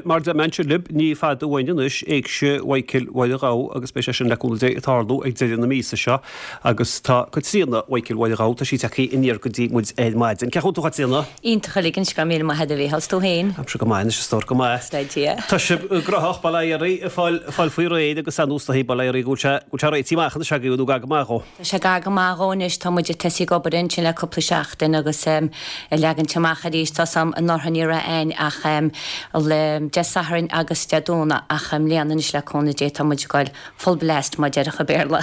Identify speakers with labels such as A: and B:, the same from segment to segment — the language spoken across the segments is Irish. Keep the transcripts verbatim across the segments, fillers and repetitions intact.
A: mar a deir mise libh ní fada uainn anois Éigse Mhichael Mháire Ghabha agus beidh sé sin le cúnamh Dé ag tarlú ag deireadh na míosa seo agus tá Caitríona Mhichael Mháire Ghabha tá sí tagtha aniar go dtí muid ar maidin. Cén chaoi a bhfuil tú a Chaitríona?
B: Iontach uilig anois go raibh míle maith agat a Mhícheál 's tú féin.
A: Tá mise go maith anois a stór go maith.
B: Staid Dia.
A: Tá sibh gnóthach bail ó Dhia oraibh ag fáil fáil faoi réir agus an ústaí bail ó Dhia oraibh go bhfuil sé go bhfuil sé réitithe amach anois agaibh nó gar go maith dhó.
B: Tá sé gar go maith dhó anois tá muid ag tosaí ag obair ansin le cúpla seachtain agus um, ag leagaint amach arís tá sam anuraidh ní raibh ann ach um, le Dé Sathairn agus Dé Domhnaigh ach i mbliana anois le cúnamh Dé tá muid ag goil full blast mar a déarfá i mBéarla.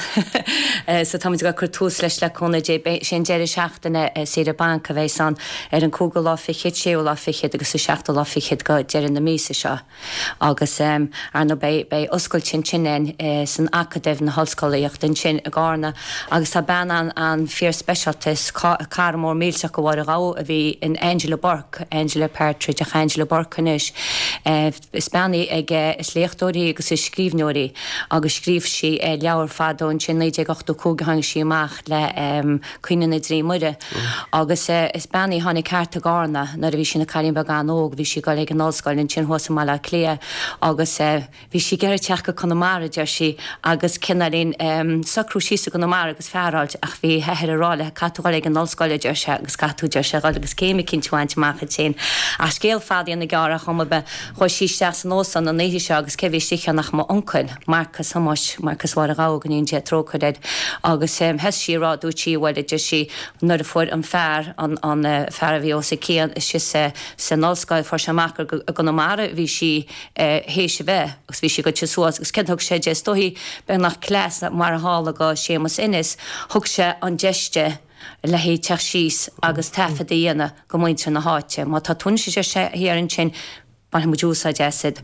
B: Eh, so tá muid ag cur tús leis le cúnamh Dé sé an deireadh seachtaine eh, saoire bainc a bheidh ann ar an cúigiú lá fichead séú lá fichead agus an seachtú lá fichead go deireadh na míosa seo. Agus um, ar ndóigh beidh beidh oscailt sin ann eh, san Acadamh na hOllscolaíochta ansin i gCarna agus tá bean an an fíorspeisialta is cara mór millteach go Mháire Ghabha a bhí in Angela Burke, Angela Partridge ach Angela Burke anois. Eh, is bean í ag is léachtóir í agus is scríbhneoir í agus scríobh sí eh, leabhar fadó ansin naoi déag ochtó cúig tháinig sí amach le um, Caoineadh na dTrí Muire. Agus eh, is bean í tháinig thart i gCarna nuair a bhí sí ina cailín beag an-óg, bhí sí ag dul ag an ollscoil ansin thuas i Baile Átha Cliath agus eh, bhí sí ag iarraidh teacht go Conamara deir sí agus cineáilín um, socrú síos i gConamara agus fear a fháilt ach bhí a hathair ag rá léi caithfidh tú dul ag an ollscoil deir sé agus caithfidh tú deir sé dul agus céim éicint a bhaint amach ansin. Ach scéal fada na gearra chum be chuaigh sí isteach san óstán an oíche seo agus cé bhí istigh ann ach m'uncail Marcus Thomáis Marcus Mháire Ghabha go ndéana Dia trócaire air agus um, thosaigh sí rá dúirt sí bhuel deir sí nuair a fuair an fear an, an uh, fear a bhí os a cionn síos uh, san ollscoil fuair sé amach gur i gConamara bhí sí uh, théis a bheith agus bhí sí go suas agus céard thug sé di is dóichí beagnach cleas mar a tharla go Séamus Ennis thug sé an deis di le teacht síos agus taifead a dhéanamh go muintir na háite. Má tá tún sé sé thiar ansin bainfidh muid úsáid asat.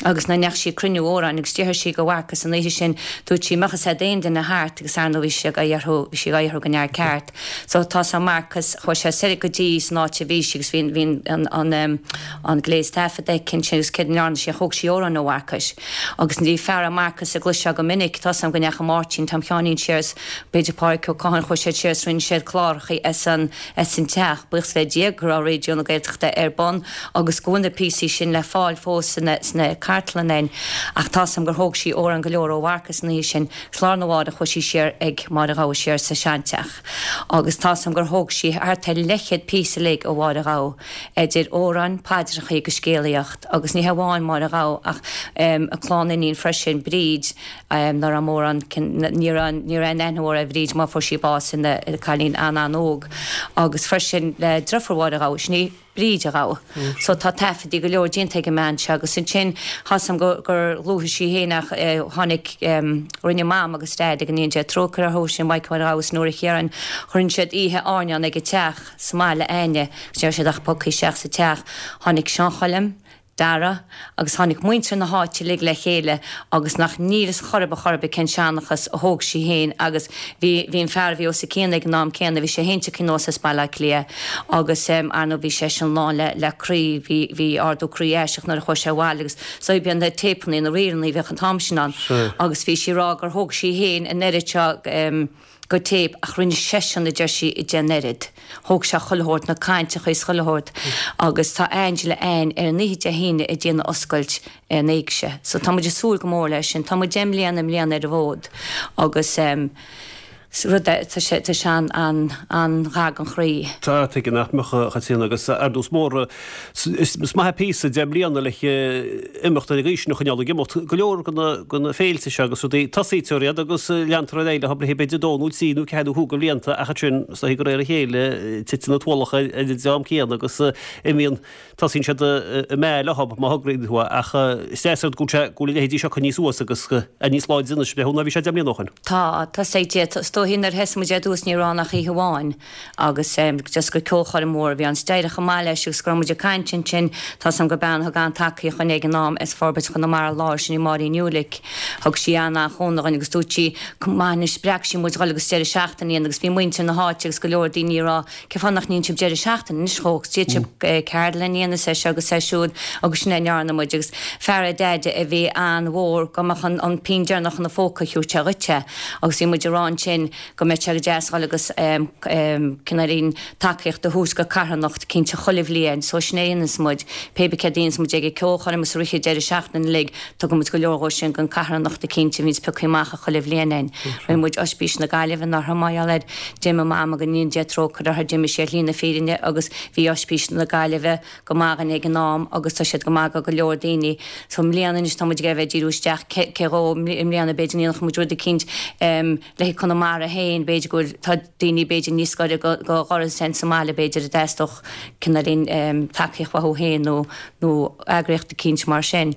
B: Agus na neach sí cruinniú órán agus dúirt sí go Mharcus an oíche sin dúirt sí mbeadh sé aon duine thart agus ar ndóigh bhí sé dharú bhí sí dharú go near ceart. So tá sa Marcus chuaigh sé soir go dtí san áit a bhí sí agus bhí bhí an an um, an gléas taifead aici sin agus céard a ndearna sí thóg sí amhrán ó Mharcus. Agus ní fear Marcus a gluise go minic tá sam go neach Máirtín Tom Sheáinín siar b'fhéidir Pádraig Ó Catháin chuaigh siad siar rinne siad cláracha as an as an teach buíochas le Dia go raibh Raidió na Gaeltachta ar bun agus go bhfuil na píosaí sin le fáil fós sna sna cartlanna ach tá sam gur thóg sí amhrán go leor ó Mharcus ní sin lá arna mhárach chuaigh sí siar ag Máire Ghabha siar sa seanteach. Agus tá sam gur thóg sí thart ar leathchéad píosa uilig ó Mháire Ghabha idir amhráin paidreacha agus scéalaíocht agus ní hamháin Máire Ghabha ach um, a clann iníon freisin Bríd um, ná mórán ní ní an aithneoir a Bhríd má fuair sí bás ina cailín an an-óg agus freisin le deirfiúr Mháire Ghabha sin í Bríd a Ghabha. Mm. So tá taifeadtaí go leor déanta ag an mbean seo agus ansin tá sam gur gur luaigh sí fhéin eh, tháinig um, rinne mam agus daid ag an ndéana Dia trócaire orthu sin Michael agus Nóra Chiaráin chuir siad oíche airneáin ag a teach sa mbaile aine, sé siad ach pocaí seach sa teach tháinig Seán Choilm, Dara agus tháinig muintir na háite uilig le chéile agus nach nílas chorb a chorb cén seanchas a thóg sí féin agus bhí bhí an fear bhí os a cionn ag an am céanna bhí sé héinte cinós as Baile Átha Cliath agus um, ar ndóigh bhí sé sin lán le le croí bhí bhí ardú croí eiseach nuair a chuaigh sé abhaile agus so bhí na téipeanna na ríleanna bheadh an t-am sin ann agus bhí sí rá gur thóg sí féin an oiread seo um, go téip ach rinne seisean a deir sí i den oiread. Thóg sé chuile shórt na cainteacha is chuile shórt agus tá Angela ann ar an oíche Dé hAoine ag déanamh oscailt an éigse. So tá muid ag súil go mór leis sin, Tá muid deich mbliana i mbliana ar an bhfód agus um, rud tá sé tá sé an an an-ghar don chroí.
A: Tá tuige nach mbeadh chatíon agus ardús mór is maith píosa deich mbliana le imeacht ar gaois na choinneáil ag imeacht go leor go na féilte seo agus rudaí tosaítear iad agus leantar ar aghaidh le hobair b'fhéidir dó nó trí nó ceathair nó cúig blianta ach sin sa go réir a chéile titeann na tualacha ar an dream céanna agus imíonn tosaíonn siad i mé le hob má thograíonn tú ach is deas go sé go bhfuil a leithéidí seo níos suas agus a níos láidre anois le ná bhí sé deich mbliana ó shin.
B: Tá tá sé dóichí nuair a thosaigh muid ar dtús ní raibh ach oíche amháin agus um, just go ceolchoirm mór bhí an staireach maith leis agus go raibh muid ag caint ansin tá sam go bean thug an-tacaíocht dúinn ag an am as Forbairt Chonamara Láir sin í Máirín Ulick thug sí an an-chúnamh dúinn agus dúirt sí maith spreag sí muid dul agus deireadh seachtaine agus bhí muintir na háite agus go leor daoine rá cén fáth nach ndéanann sibh deireadh seachtaine anois chóch dé ceardlann a dhéanamh sé agus sé siúd agus sin ndearna muid agus fear a deide a bhí an-mhór go mbeadh an an pingin deireanach ina phóca thiúir sé dhuit agus bhí muid rá ansin sin go mbeidh sé go deas dhul agus cineáilín tacaíocht a thabhairt go carthanacht cinnte chuile bhliain. So sin é a dhéanas muid, pé bith céard a dhéanas muid ag an ceolchoirm is i rith an deireadh seachtaine uilig, tugann muid go leor dhó sin don carthanacht cinnte a bhíonns pioctha amach chuile bhliain againn. Rinne muid Oispís na Gaillimhe anuraidh mar gheall air. D'imigh Mam go ndéana Dia trócaire uirthi, d'imigh sí ar shlí na fírinne agus bhí Oispís na Gaillimhe go maith dhúinn ag an am agus tá siad go maith go go leor daoine. So i mbliana anois tá muid ag bheith ag díriú isteach cé dhó i mbliana b'fhéidir ndéanfadh muid rud eicínt le haghaidh Conamara féin, b'fhéidir go bhfuil, tá daoine b'fhéidir níos gaire go dhoras againn sa mbaile b'fhéidir a dteastódh cineáilín tacaíocht uathu féin nó nó eagraíocht eicínt mar sin.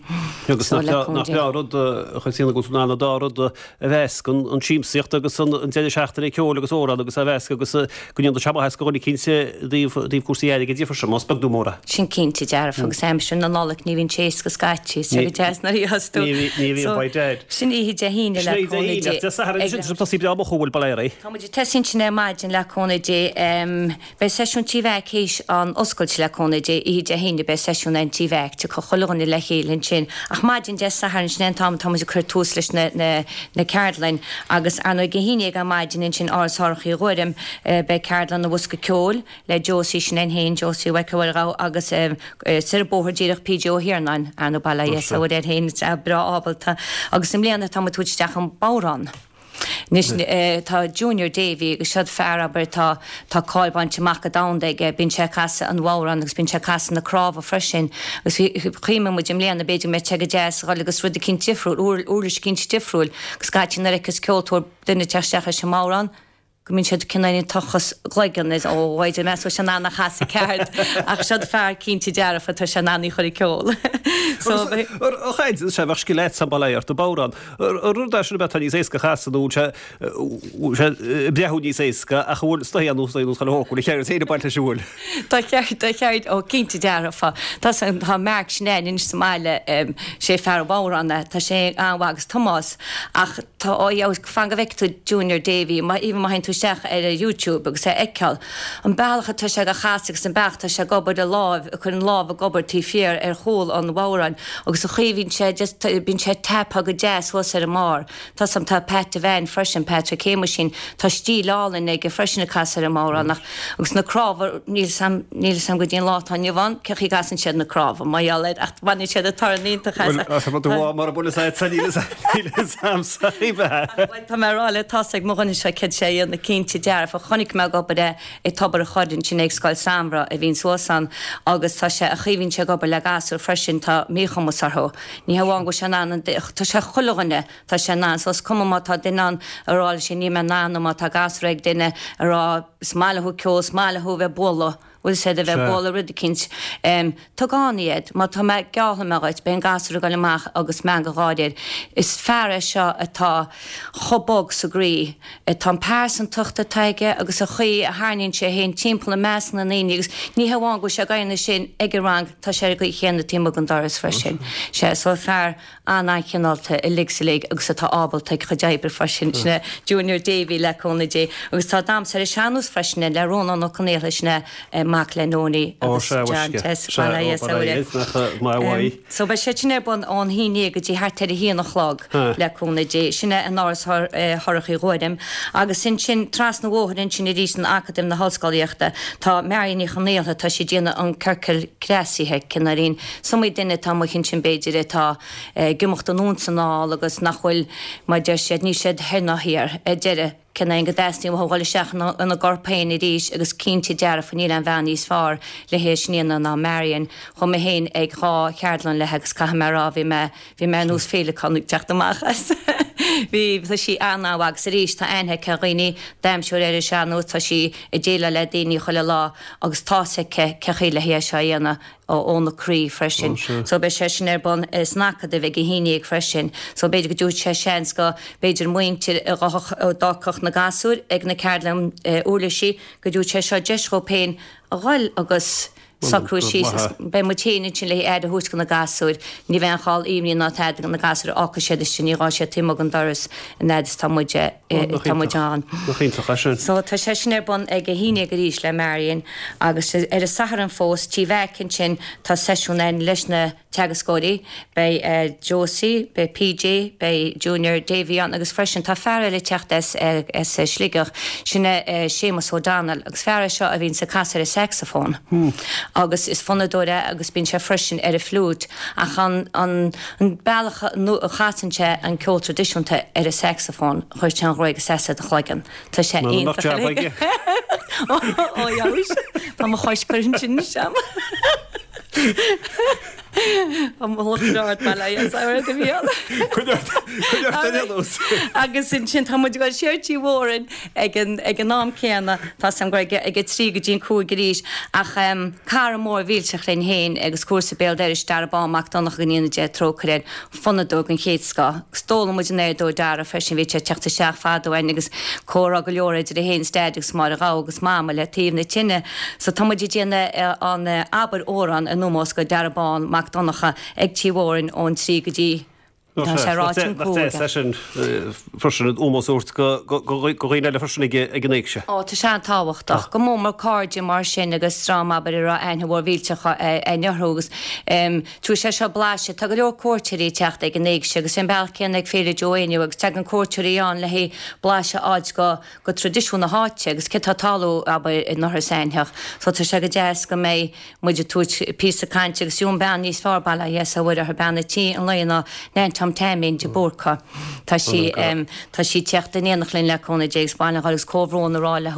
A: Agus nach breá an rud a Chaitríona go bhfuil tú in ann an dá rud a mheascadh, an siamsaíocht agus an deireadh seachtaine ceoil agus amhrán agus a mheascadh agus go ndéanann sé maitheas do dhuine eicínt i dtaobh cúrsaí airgid freisin, más beag nó mór é.
B: Sin cinnte dearfa agus aimsir na Nollag ní bhíonn sé éasca scaití, so go deas nuair a gheobhas tú.
A: Ní bhíonn by dad.
B: Sin oíche Dé hAoine le cúnamh Dé.
A: Dé Sathairn sin tá tosaí breá moch an bhfuil bail air.
B: Tá muid ag tosaí ansin ar maidin le cúnamh Dé. Beidh seisiún Tí Mheaic théis an oscailt le cúnamh Dé oíche Dé hAoine beidh seisiún ann Tí Mheaic tiocfaidh chuile dhuine le chéile ansin ach maidin Dé Sathairn sin é an t-am atá muid ag cur tús leis na na na ceardlainn agus ar ndóigh ag a haon déag ar maidin ansin Áras Shorcha Uí Ghuairim beidh ceardlann an bhosca ceoil le Josie sin é féin, Josie Mhic Mhuirgheamh agus soir an bóthar díreach PJ Ó hIarnáin, ar ndóigh bail ó Dhia air féin, breá ábalta. Agus i mbliana tá muid ag tabhairt isteach an bodhrán. Anois tá Junior Davy agus seod fear abair tá tá cáil bainte amach go domhanda aige, bíonn sé ag casadh an bhodhráin agus bíonn sé ag casadh na cnámha freisin agus bhí chuimhnigh muid i mbliana b'fhéidir go mbeadh sé go deas a dhul agus rud eicínt difriúil, uirlis eicínt difriúil agus scaití nuair a fheiceas ceoltóir duine ag teacht isteach leis an mbodhrán, go mbíonn siad cineál ag tochas a gcloigeann is ó b'fhéidir meas bhfuil sé in ann a chasadh ceart ach seod fear cinnte dearfa tá sé in ann í chur ag ceol.
A: So a chaint sé bheadh scil agat bail ó Dhia ort an bodhrán. Rud é sin a bheadh níos éasca a chasadh nó sé sé breathnú níos éasca ach an bhfuil stoith nó stoith nó chuile shórt bhfuil a cheird féin ag baint leis an bhfuil.
B: Tá ceird tá ceird ó cinnte dearfa. Tá tá Mark sin anois sa mbaile sé fear an bhodhráin é tá sé an-mhaith agus Tomás ach Tá ó dheas, fan go bhfeicfidh tú Junior Davy, even má théann tú isteach ar YouTube agus é a fheiceáil, an bealach atá sé ag casadh agus an bealach atá sé ag obair a láimh, ag cur an lámh ag obair taobh thiar ar chúl an bhodhráin agus an chaoi a bhíonn sé just, bíonn sé ag tapadh go deas thuas ar an mbarr. Tá 's a'm, tá Pat Devane freisin, Patrick Shéamuisín, tá stíl álainn aige freisin ag casadh ar an mbodhrán ach, agus na cnámha, níl 's a'm, níl 's a'm go dtí an lá atá inniu ann cén chaoi a gcasann siad na cnámha, mar gheall air ach baineann siad an torann iontach as.
A: Bhuel, as rud amháin mar a bhfuil 'fhios a'd, níl 'fhios a'msa.
B: Bhuel, tá mé ag rá leat, tá's ag mo dhuine seo céard sé a dhéanamh cinnte dearfa. Chonaic mé ag obair é i Tobar a' Choirr ansin ag Scoil Samhraidh a bhíonn suas ann agus tá sé, an chaoi a bhíonn sé ag obair le gasúir freisin, tá míchumas orthu. Ní hamháin go bhfuil sé in ann an, tá sé chuile dhuine, tá sé in ann. So is cuma má tá duine ann ag rá leis níl mé in ann nó má tá gasúr ag duine ag rá is maith leo ceol, is maith leo bheith ag bualadh. bhfuil siad a bheith ag bualadh rud eicínt. Tug ann iad. Má tá mé, geallfaidh mé dhuit, beidh an gasúr ag dul amach agus meangadh gáire air. Is fear é seo atá chomh bog sa gcroí. Tá an pearsantacht atá aige agus an chaoi a tharraingíonn sé é féin timpeall i measc na ndaoine agus ní hamháin go bhfuil sé ag déanamh sin ag an rang, tá sé ar an gcaoi chéanna taobh amuigh den doras freisin. Sea, so fear an-an-chineálta uilig 's uilig agus atá ábalta ag a chuid oibre freisin. Sin é Junior Davy le cúnamh Dé. Agus tá damhsa ar an sean-nós freisin le Rónán Ó Conaola, sin é mac le Nonie agus John Tess. So beidh sé sin ar bun ón haon déag go dtí thart ar a haon a chlog le cúnamh Dé. Sin é in Áras Shorcha Uí Ghuairim. Agus ansin trasna an bhóthair ansin arís in Acadamh na hOllscolaíochta tá Marion Ní Chonaola, tá sí ag déanamh an ciorcal creasaithe, cineáilín. Is iomaí duine atá amuigh ansin b'fhéidir atá ag imeacht anonn 's anall agus nach bhfuil, mar deir siad, níl siad thoir ná thiar ar deireadh, cineál go dteastaíonn uathu dhul isteach ina gcorp féin arís agus cinnte dearfa níl aon bhean níos fearr le hé sin a dhéanamh ná Marion. Chuaigh mé féin ag dhá cheardlann léi agus caithfidh mé a rá bhí mé, bhí mé ar nós féileacán ag teacht amach as. Bhí, tá sí an-an-mhaith agus arís tá aithne aici ar dhaoine, damhsóir ar an sean-nós, tá sí ag déileáil le daoine chuile lá agus tá's aici cé chaoi le hé seo a dhéanamh. óna croí freisin. So beidh sé sin ar bun san Acadamh ag a haon déag freisin. So b'fhéidir go dtabharfaidh sé seans go b'fhéidir muintir a d'fhágfadh na gasúir ag na ceardlann uirlisí go dtabharfaidh sé seo deis dhóibh féin a dhul agus socrú síos agus beidh muid féin ansin le aire a thabhairt do na gasúir. Ní bheidh aon chall imní ná tada do na gasúir fágfaidh siad istigh ní gá siad taobh amuigh den doras an fhad is tá muid tá muid ann.
A: Nach iontach é sin.
B: So tá sé sin ar bun ag a haon déag arís le Marion agus ar an Satharn fós, Tí Mheaic ansin, tá seisiún ann leis na teagascóirí, beidh Josie, beidh PJ, beidh Junior Davy ann agus freisin tá fear eile ag teacht as as Sligeach, sin é Séamus O'Donnell agus fear é seo a bhíonns ag casadh ar an saxophone agus is fonnadóir é agus bíonn sé freisin ar an fliúit ach an an an bealach a chasann sé an ceol traidisiúnta ar an saxophone chuir sé an ghruaig i seasamh do chloigeann. Tá sé iontach. Ó tá mo chois curtha ansin anois agam. Agus ansin tá muid ag dul siar Tí Mhóráin ag an ag an am céanna, tá 's agam gur ag ag a trí go dtí an cúig arís, ach cara mór mhillteach linn féin agus cúrsa béal dorais Dara Bán Mac Donncha go ndéana Dia trócaire air, fonnadóir den chéad scoth. Agus d'fhoghlaim muid an oiread ó Dara freisin, bhí sé ag teacht isteach fadó againn agus comhrá go leor idir é féin is Daid agus Máire Ghabha agus Mama le taobh na tine. So tá muid ag déanamh an abair amhrán in ómós go Dara Bán Mac Donncha ag Tí Mhóráin ón trí go dtí Tá sé ráite an cúig.
A: Nach deas é sin freisin an ómós a thabhairt go dhaoine eile freisin ag an éigse.
B: Ó tá sé an-tábhachtach. Go mór mór cairde mar sin agus dream abair a raibh aithne mhór mhillteach againn orthu agus tabharfaidh sé seo blaiseadh. Tá go leor cuairteoirí ag teacht ag an éigse agus ar an bealach céanna ag Féile Joe Éinniú agus tagann cuairteoirí ann le haghaidh blaiseadh a fháilt go go traidisiún na háite agus céard tá ag tarlú, abair, in Oirthear is Aintheach. So tá sé go deas go mbeidh muid ag tabhairt píosa cainte agus fiú an bean níos fearr, bail ó Dhia is ó Mhuire uirthi, bean a' tí an lae ná Nan Tom Taimín de Búrca. Tá sí, tá sí ag teacht in éineacht linn le cúnamh Dé agus bail agus comhbhrón a rá léi,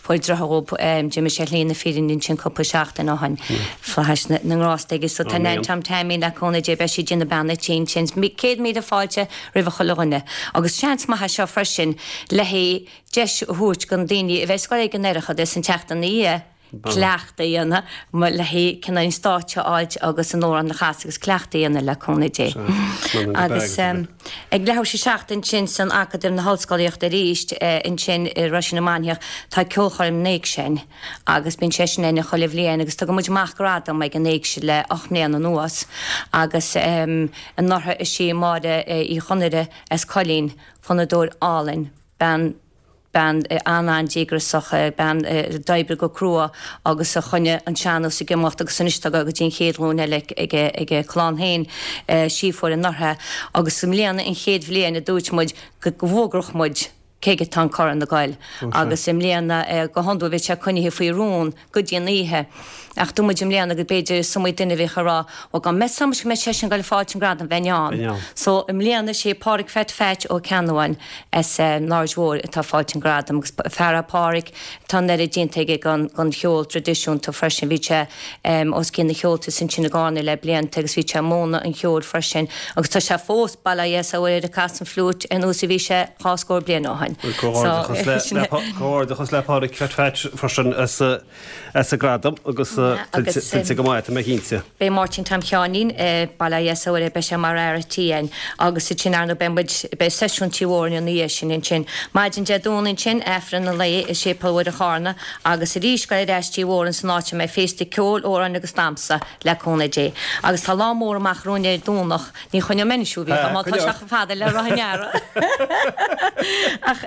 B: fuair deartháir dhóibh, d'imigh sé shlí na fírinne ansin cúpla seachtain ó shin. Flaithis na na ngrást aige. So tá Nan Tom Taimín le cúnamh Dé beidh sí ag déanamh bean a' tí ansin. Céad míle fáilte roimh chuile dhuine. Agus seans maith é seo freisin le haghaidh deis a thabhairt do na daoine a bheas ag goil ag an Oireachtas an tseachtain ina dhiaidh cleachtadh a dhéanamh le haghaidh cineál an stáitse a fháilt agus an amhrán a chasadh agus cleachtadh a dhéanamh le cúnamh Dé. Agus ag leathuair tar éis a seacht ansin san Acadamh na hOllscolaíochta arís ansin i Roisín na Mainiach tá ceolchoirm na hÉigse ann agus bíonn sé sin ann chuile bhliain agus tugann muid amach gradam ag an Éigse le ocht mbliana anuas agus anuraidh is í Máire Uí Chonaire as Coillín, fonnadóir álainn, bean bean an-an-díograiseach, bean a d'oibrigh go crua agus a choinnigh an sean-nós ag imeacht agus anois tá go dtí an chéad ghlúin eile ag a clann féin, sí a fuair anuraidh agus i mbliana an chéad bhliain a dúirt muid go bhfógródh muid cé aige atá an corn ag goil agus i mbliana go hiondúil bhíodh sé coinnithe faoi rún go dtí an oíche. Ach dúirt muid i mbliana go b'fhéidir is iomaí duine a bheadh ag rá, bhuel dá mbeadh a fhios agam go mbeadh seisean ag goil ag fáilt an gradam bheinn ann. So i mbliana is é Páraic Pheait Pheait Ó Ceannabháin as an Aird Mhóir atá ag fáilt an gradam agus fear é Páraic tá an oiread déanta aige don don cheol traidisiúnta freisin. Bhí sé os cionn na Cheoltas ansin i gCarna le blianta agus bhí sé ag múineadh an cheoil freisin agus tá sé fós, bail ó Dhia is ó Mhuire air, ag casadh an fhliúit ar nós a bhí sé dhá scór bliain ó shin.
A: Comhghairdeachas le Páraic Pheait Pheait freisin as as an gradam agus tuillte go maith, tá mé cinnte.
B: Beidh Máirtín Tom Sheáinín, bail ó Dhia is ó Mhuire air, beidh sé mar fhear a' tí againn agus ansin ar ndóigh beidh muid, beidh seisiún Tí Mhóráin ina dhiaidh sin ansin. Maidin Dé Domhnaigh ansin, Aifreann an lae i Séipéal Mhuire Charna agus arís goil ar ais Tí Mhóráin san áit a mbeidh féasta ceoil, amhráin agus damhsa le cúnamh Dé. Agus tá lá mór amach romhainn ar an Domhnach, ní choinneoidh mé anois thú a Mhícheál má tá sé chomh fada le rá i ndeara. Ach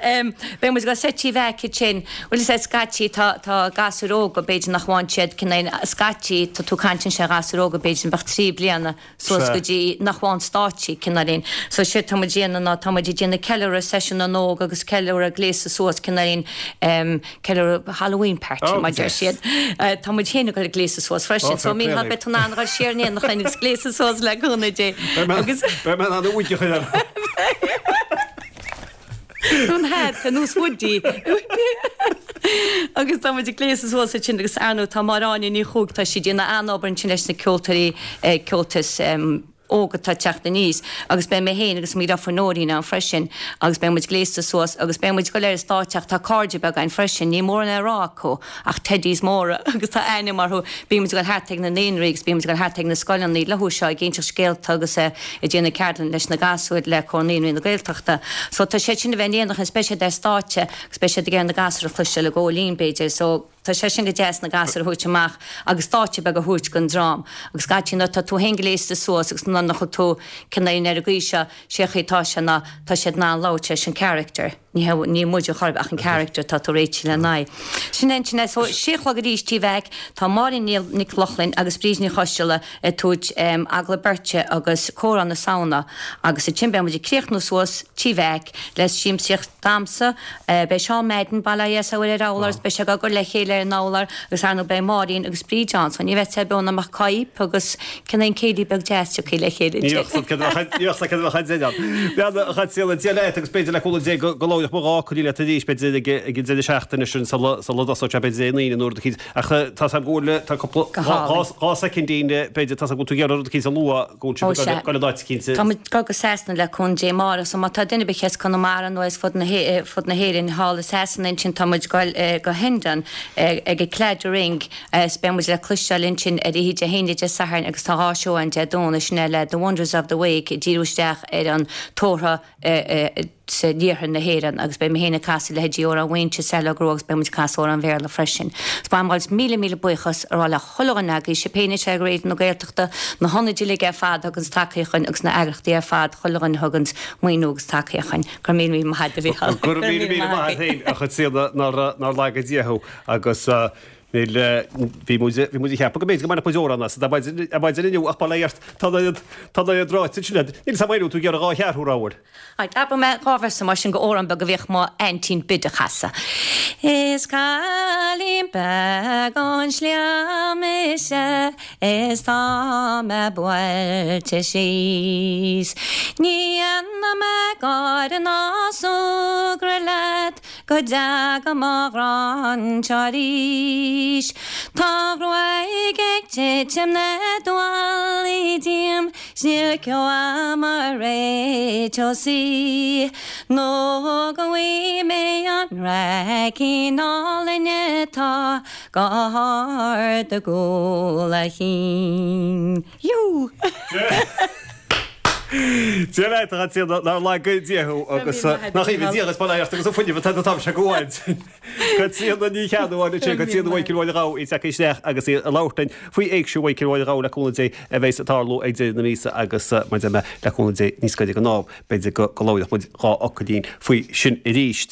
B: beidh muid ag goil soir Tí Mheaic ansin, bhuel is é scaití tá tá gasúir óga b'fhéidir nach bhfaigheann siad cineál scaití tá tú ag caint ansin ar ghasúir óga b'fhéidir a bheadh trí bliana suas go dtí nach bhfaigheann stáitsí cineáilín. So séard tá muid ag déanamh ná tá muid ag déanamh ceiliúradh seisiún na n-óg agus ceiliúradh gléasadh suas cineáilín em ceiliúradh Halloween party mar deir siad. Tá muid féin ag dul ag gléasadh suas freisin so Mícheál beidh tú in ann a dhul siar in éineacht linn agus gléasadh suas le cúnamh Dé agus
A: Beidh mé in ann an uaigh a chur orm.
B: An hat ar nós Woody. Agus tá muid ag gléasadh suas ansin agus ar ndóigh tá Máire Áine Ní Chuaig, tá sí ag déanamh an-obair ansin leis na ceoltóirí, ceoltas óg atá ag teacht aníos agus beidh mé féin agus mo dheirfiúr Nóirín ann freisin agus beidh muid gléasta suas agus beidh muid ag dul ar an stáitse ach tá cairde beaga againn freisin, níl mórán le rá acu ach teddies móra agus tá ainm orthu, bíonn muid ag dul thart ag na naíonraí agus bíonn muid ag dul thart ag na scoileanna leo seo ag inseacht scéalta agus ag déanamh ceardlann leis na gasúir le Comhar Naíonraí na Gaeltachta. So tá siad sin a bheith in éineacht is beidh siad ar stáitse agus beidh siad ag iarraidh na gasúir a chloisteáil ag gabháil fhoinn b'fhéidir so Tá sé sin go deas na gasúir a thabhairt amach agus stáitse beag a thabhairt don dream. Agus scaití nuair atá tú féin gléasta suas agus nuair nach bhfuil tú cineál ar an gcaoi seo, sé chaoi atá sé ná tá siad in ann labhairt leis an character. Ní hea ní muid a chor ach an character atá tú réitigh lena aghaidh. Sin é ansin é. So sé a chlog arís Tí Mheaic, tá Máirín Nic Lochlainn agus Bríd Ní Choisteala ag tabhairt agallamh beirte agus comhrá na Samhna agus ansin beidh muid ag críochnú suas Tí Mheaic le siamsaíocht damhsa. Beidh Seán Madden, bail ó Dhia air ar urlár agus beidh sé ag cur le chéile ar an urlár agus ar ndóigh beidh Máirín agus Bríd ann so ní bheidh sé beo ná mbeadh cóip agus cineál céilí beag deas tiocfaidh le chéile.
A: Ní bheadh cad a bheadh ann. Bean a Chaitríona, Dia leat agus b'fhéidir le cúnamh Dé go labhróidh mo dhá coinní leat arís b'fhéidir ag an deireadh seachtaine sin sula dtosóidh sé b'fhéidir Dé hAoine nó rud eicínt ach tá 's agam go bhfuil tá cúpla dhá soicindín b'fhéidir tá 's agam go bhfuil tú ag iarraidh rud eicínt a lua go bhfuil sibh ag dul in áit eicínt.
B: Tá muid ag dul go Sasana le cúnamh Dé amárach so má tá duine ar bith as Conamara nó as fud na fud na hÉireann thall i Sasana ansin tá muid ag dul go Hendon ag an Claddagh Ring is beidh muid le cloisteáil ansin ar oíche Dé hAoine Dé Sathairn agus tá dhá seó ann Dé Domhnaigh sin é le The Wonders of the Wake ag díriú isteach ar an tórramh san iarthar na hÉireann agus beidh mé féin ag casadh leithéidí Amhrán Mhaínse, Saileog Rua agus beidh muid ag casadh amhrán Bhéarla freisin. So ba mhaith liom míle míle buíochas a rá le chuile dhuine agaibh, sibh féin anseo ag Raidió na Gaeltachta, na hionaid uilig ar fad a thuganns tacaíocht dhuinn agus na eagrachtaí ar fad, chuile dhuine a thuganns maoiniú agus tacaíocht dhuinn. Go raibh míle míle maith agat a Mhícheáil.
A: Go raibh míle míle maith agat féin a Chaitríona nár laga Dia thú agus níl bhí muid bhí muid ag ceapadh go mb'fhéidir go mbainfeadh muid amhrán as ar maidin inniu ach bail ó Dhia ort tá an tá an oiread ráite ansin agat. Níl 's agam an bhfuil tú ag iarraidh dhá cheathrú a rá.
B: Right, abrfaidh mé dhá véarsa mar sin go amhrán beag a bhíodh mo aintín Bid a chasadh. Is cailín beag ón sliabh mise is tá mé buailte síos. Ní dhéanfaidh mé gáire ná súgradh leat go dteaga mo ghrá anseo arís. Tá a ghruaig ag titim na dualaí díom 's níl ceo a'm a réiteodh í. Nó go bhfaighidh mé an raicín álainn atá go hard i gcúl a chinn. Yú!
A: Dia leat a Chaitríona nár laga Dia thú agus nach aoibhinn Dia agus bail ó Dhia ort agus an fuinneamh atá atá sé go bhfaid. Caitríona Ní Cheannabháin ansin, Caitríona Mhichael Mháire Ghabha í tagtha isteach agus í ag labhairt linn faoi Éigse Mhichael Mháire Ghabha le cúnamh Dé a bheas ag tarlú ag deireadh na míosa agus mar a deir mé le cúnamh Dé níos gaire don am b'fhéidir go go labhróidh muid dhá fhocailín faoi sin arís.